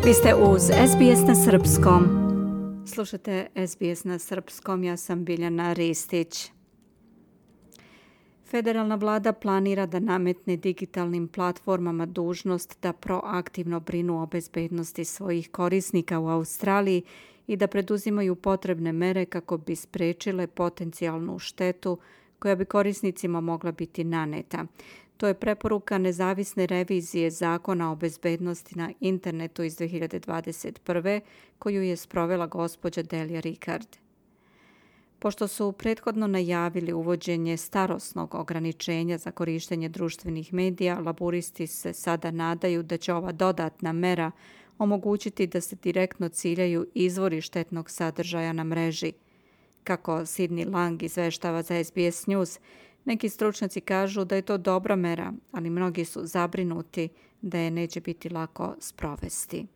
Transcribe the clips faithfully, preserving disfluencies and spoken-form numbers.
Vi ste uz S B S na srpskom. Slušate S B S na srpskom, ja sam Biljana Ristić. Federalna vlada planira da nametne digitalnim platformama dužnost da proaktivno brinu o bezbednosti svojih korisnika u Australiji i da preduzimaju potrebne mere kako bi sprečile potencijalnu štetu koja bi korisnicima mogla biti naneta. To je preporuka nezavisne revizije Zakona o bezbednosti na internetu iz dve hiljade dvadeset prve koju je sprovela gospođa Delia Rickard. Pošto su prethodno najavili uvođenje starosnog ograničenja za korištenje društvenih medija, laburisti se sada nadaju da će ova dodatna mera omogućiti da se direktno ciljaju izvori štetnog sadržaja na mreži. Kako Sydney Lang izveštava za S B S News, neki stručnjaci kažu da je to dobra mera, ali mnogi su zabrinuti da je neće biti lako sprovesti.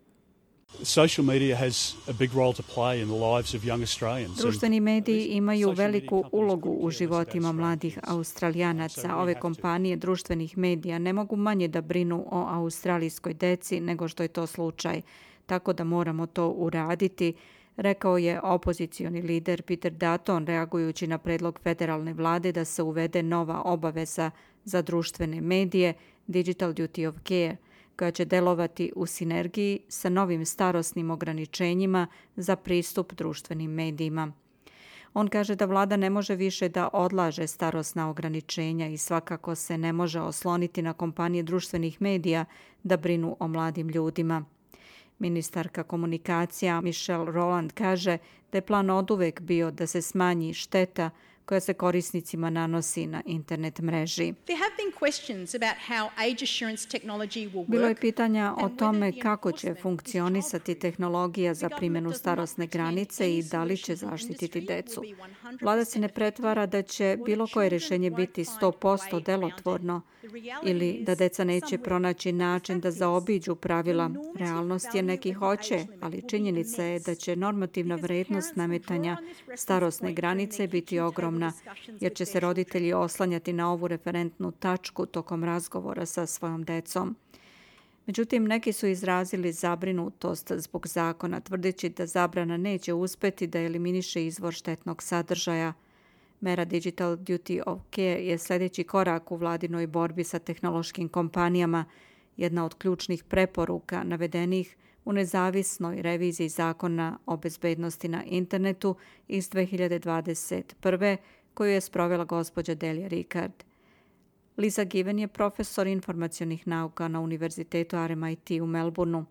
Social media has a big role to play in the lives of young Australians. Društveni mediji imaju veliku ulogu u životima mladih Australijanaca. Ove kompanije društvenih medija ne mogu manje da brinu o australijskoj deci nego što je to slučaj, tako da moramo to uraditi, rekao je opozicioni lider Peter Dutton reagujući na predlog federalne vlade da se uvede nova obaveza za društvene medije, Digital Duty of Care, koja će delovati u sinergiji sa novim starosnim ograničenjima za pristup društvenim medijima. On kaže da vlada ne može više da odlaže starosna ograničenja i svakako se ne može osloniti na kompanije društvenih medija da brinu o mladim ljudima. Ministarka komunikacija Michelle Rowland kaže da je plan oduvek bio da se smanji šteta koja se korisnicima nanosi na internet mreži. Bilo je pitanja o tome kako će funkcionisati tehnologija za primjenu starosne granice i da li će zaštititi decu. Vlada se ne pretvara da će bilo koje rješenje biti sto posto delotvorno ili da deca neće pronaći način da zaobiđu pravila. Realnost je neki hoće, ali činjenica je da će normativna vrednost nametanja starosne granice biti ogromna, jer će se roditelji oslanjati na ovu referentnu tačku tokom razgovora sa svojom decom. Međutim, neki su izrazili zabrinutost zbog zakona, tvrdeći da zabrana neće uspeti da eliminiše izvor štetnog sadržaja. Mera Digital Duty of Care je sljedeći korak u vladinoj borbi sa tehnološkim kompanijama, jedna od ključnih preporuka navedenih u nezavisnoj reviziji Zakona o bezbednosti na internetu iz dve hiljade dvadeset prve koju je sprovela gospođa Delia Rickard. Lisa Given je profesor informacionih nauka na Univerzitetu R M I T u Melbourneu.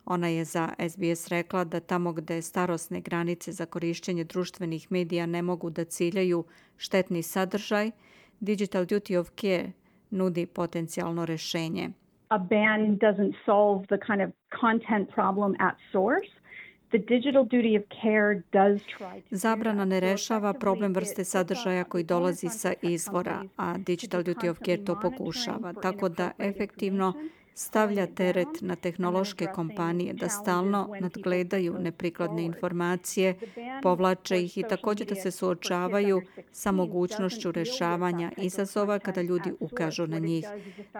Ona je za S B S rekla da tamo gde starosne granice za korištenje društvenih medija ne mogu da ciljaju štetni sadržaj, Digital Duty of Care nudi potencijalno rešenje. A ban doesn't solve the kind of content problem at source. The digital duty of care does try to... Zabrana ne rešava problem vrste sadržaja koji dolazi sa izvora, a Digital Duty of Care to pokušava, tako da efektivno stavlja teret na tehnološke kompanije da stalno nadgledaju neprikladne informacije, povlače ih i također da se suočavaju sa mogućnošću rešavanja izazova kada ljudi ukažu na njih.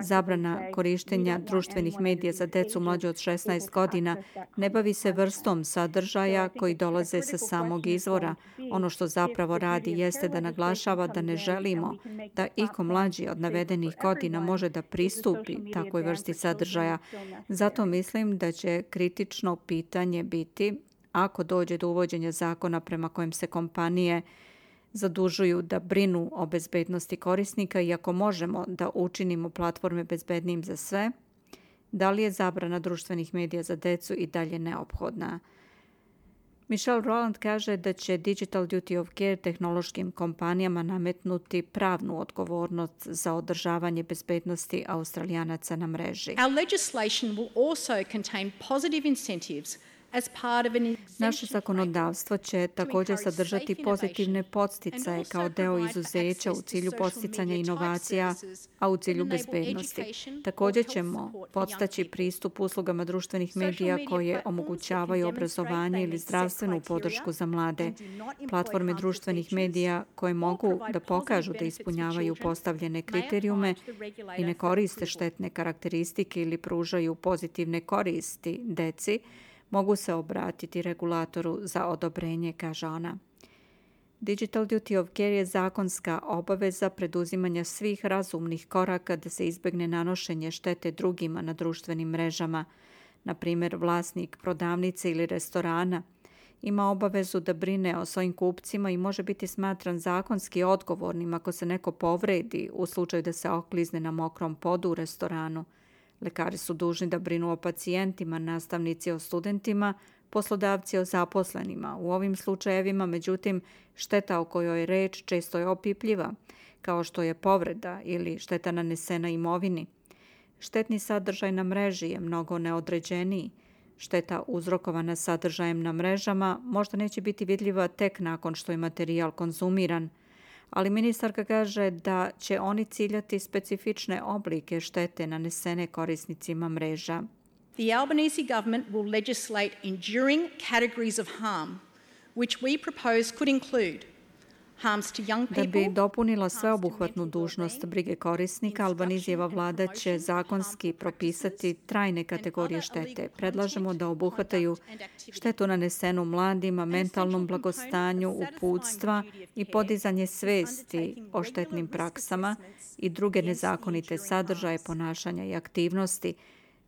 Zabrana korištenja društvenih medija za decu mlađe od šesnaest godina ne bavi se vrstom sadržaja koji dolaze sa samog izvora. Ono što zapravo radi jeste da naglašava da ne želimo da iko mlađi od navedenih godina može da pristupi takvoj vrsti sadržaja. sadržaja. Zato mislim da će kritično pitanje biti ako dođe do uvođenja zakona prema kojem se kompanije zadužuju da brinu o bezbednosti korisnika i ako možemo da učinimo platforme bezbednijim za sve, da li je zabrana društvenih medija za decu i dalje neophodna? Michelle Rowland kaže da će Digital Duty of Care tehnološkim kompanijama nametnuti pravnu odgovornost za održavanje bezbednosti Australijanaca na mreži. Our legislation will also contain positive incentives Naše zakonodavstvo će također sadržati pozitivne podsticaje kao deo izuzeća u cilju podsticanja inovacija, a u cilju bezbednosti. Također ćemo podstaći pristup uslugama društvenih medija koje omogućavaju obrazovanje ili zdravstvenu podršku za mlade. Platforme društvenih medija koje mogu da pokažu da ispunjavaju postavljene kriterijume i ne koriste štetne karakteristike ili pružaju pozitivne koristi deci, mogu se obratiti regulatoru za odobrenje, kaže ona. Digital Duty of Care je zakonska obaveza preduzimanja svih razumnih koraka da se izbegne nanošenje štete drugima na društvenim mrežama. Na primjer, vlasnik prodavnice ili restorana ima obavezu da brine o svojim kupcima i može biti smatran zakonski odgovornim ako se neko povredi u slučaju da se oklizne na mokrom podu u restoranu. Lekari su dužni da brinu o pacijentima, nastavnici o studentima, poslodavci o zaposlenima. U ovim slučajevima, međutim, šteta o kojoj je reč često je opipljiva, kao što je povreda ili šteta nanesena imovini. Štetni sadržaj na mreži je mnogo neodređeniji. Šteta uzrokovana sadržajem na mrežama možda neće biti vidljiva tek nakon što je materijal konzumiran, ali ministarka kaže da će oni ciljati specifične oblike štete nanesene korisnicima mreža. The Albanese government will legislate enduring categories of harm, which we propose could include harms to young people. Da bi dopunila sveobuhvatnu dužnost brige korisnika, Albanizijeva vlada će zakonski propisati trajne kategorije štete. Predlažemo da obuhvataju štetu nanesenu mladima, mentalnom blagostanju, uputstva i podizanje svesti o štetnim praksama i druge nezakonite sadržaje, ponašanja i aktivnosti.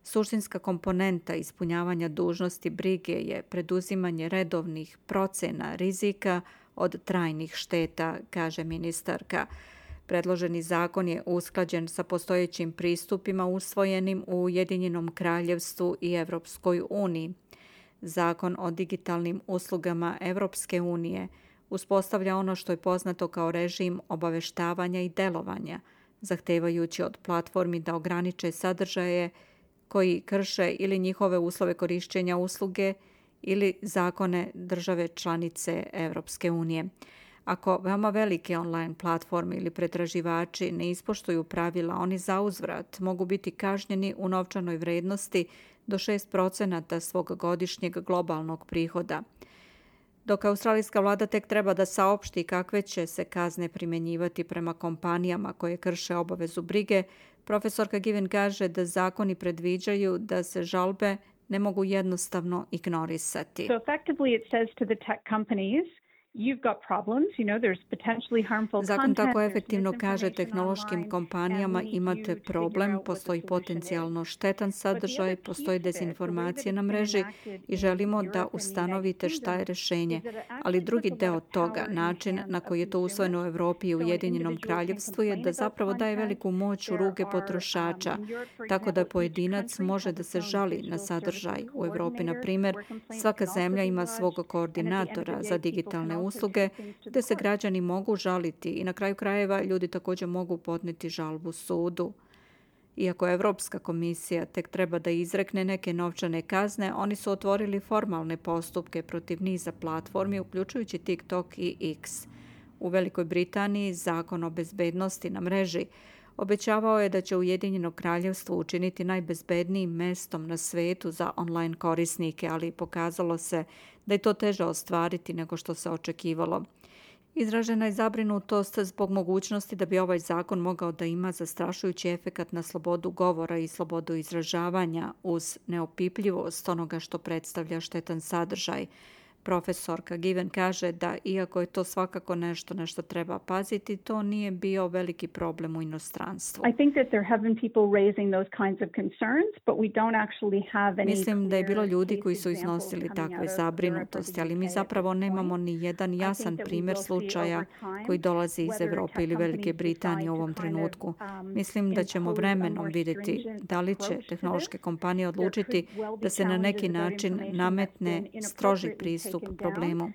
Suštinska komponenta ispunjavanja dužnosti brige je preduzimanje redovnih procena rizika od trajnih šteta, kaže ministarka. Predloženi zakon je usklađen sa postojećim pristupima usvojenim u Ujedinjenom kraljevstvu i Evropskoj uniji. Zakon o digitalnim uslugama Evropske unije uspostavlja ono što je poznato kao režim obaveštavanja i delovanja, zahtevajući od platformi da ograniče sadržaje koji krše ili njihove uslove korišćenja usluge ili zakone države članice Evropske unije. Ako veoma velike online platforme ili pretraživači ne ispoštuju pravila, oni zauzvrat mogu biti kažnjeni u novčanoj vrednosti do šest procenata svog godišnjeg globalnog prihoda. Dok australijska vlada tek treba da saopšti kakve će se kazne primjenjivati prema kompanijama koje krše obavezu brige, profesorka Given kaže da zakoni predviđaju da se žalbe ne mogu jednostavno ignorisati. So effectively it says to the tech companies, you've got problems, you know, there's potentially harmful content. Zakon tako efektivno kaže tehnološkim kompanijama imate problem, postoji potencijalno štetan sadržaj, postoji dezinformacija na mreži i želimo da ustanovite šta je rešenje. Ali drugi deo toga, način na koji je to usvojeno u Evropi i Ujedinjenom kraljevstvu je da zapravo daje veliku moć u ruke potrošača, tako da pojedinac može da se žali na sadržaj. U Evropi, na primjer, svaka zemlja ima svog koordinatora za digitalne usluge gde se građani mogu žaliti i na kraju krajeva ljudi također mogu podneti žalbu sudu. Iako Evropska komisija tek treba da izrekne neke novčane kazne, oni su otvorili formalne postupke protiv niza platformi, uključujući TikTok i X. U Velikoj Britaniji zakon o bezbednosti na mreži obećavao je da će Ujedinjeno kraljevstvo učiniti najbezbednijim mestom na svetu za online korisnike, ali pokazalo se da je to teže ostvariti nego što se očekivalo. Izražena je zabrinutost zbog mogućnosti da bi ovaj zakon mogao da ima zastrašujući efekat na slobodu govora i slobodu izražavanja uz neopipljivost onoga što predstavlja štetan sadržaj. Profesorka Given kaže da iako je to svakako nešto na što treba paziti, to nije bio veliki problem u inostranstvu. I think that there have been people raising those kinds of concerns, but we don't actually have any. Mislim da je bilo ljudi koji su iznosili takve zabrinutosti, ali mi zapravo nemamo ni jedan jasan primjer slučaja koji dolazi iz Evrope ili Velike Britanije u ovom trenutku. Mislim da ćemo vremenom vidjeti da li će tehnološke kompanije odlučiti da se na neki način nametne stroži pristup problemu.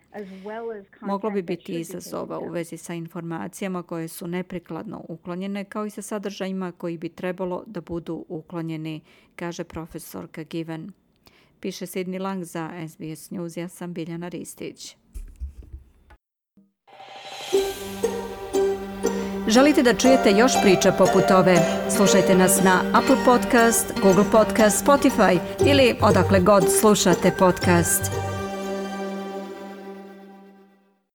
Moglo bi biti izazova u vezi sa informacijama koje su neprikladno uklonjene, kao i sa sadržajima koji bi trebalo da budu uklonjeni, kaže profesorka Given. Piše Sidney Lang za S B S News, ja sam Biljana Ristić. Želite da čujete još priča poput ove? Slušajte nas na Apple Podcast, Google Podcast, Spotify ili odakle god slušate podcast.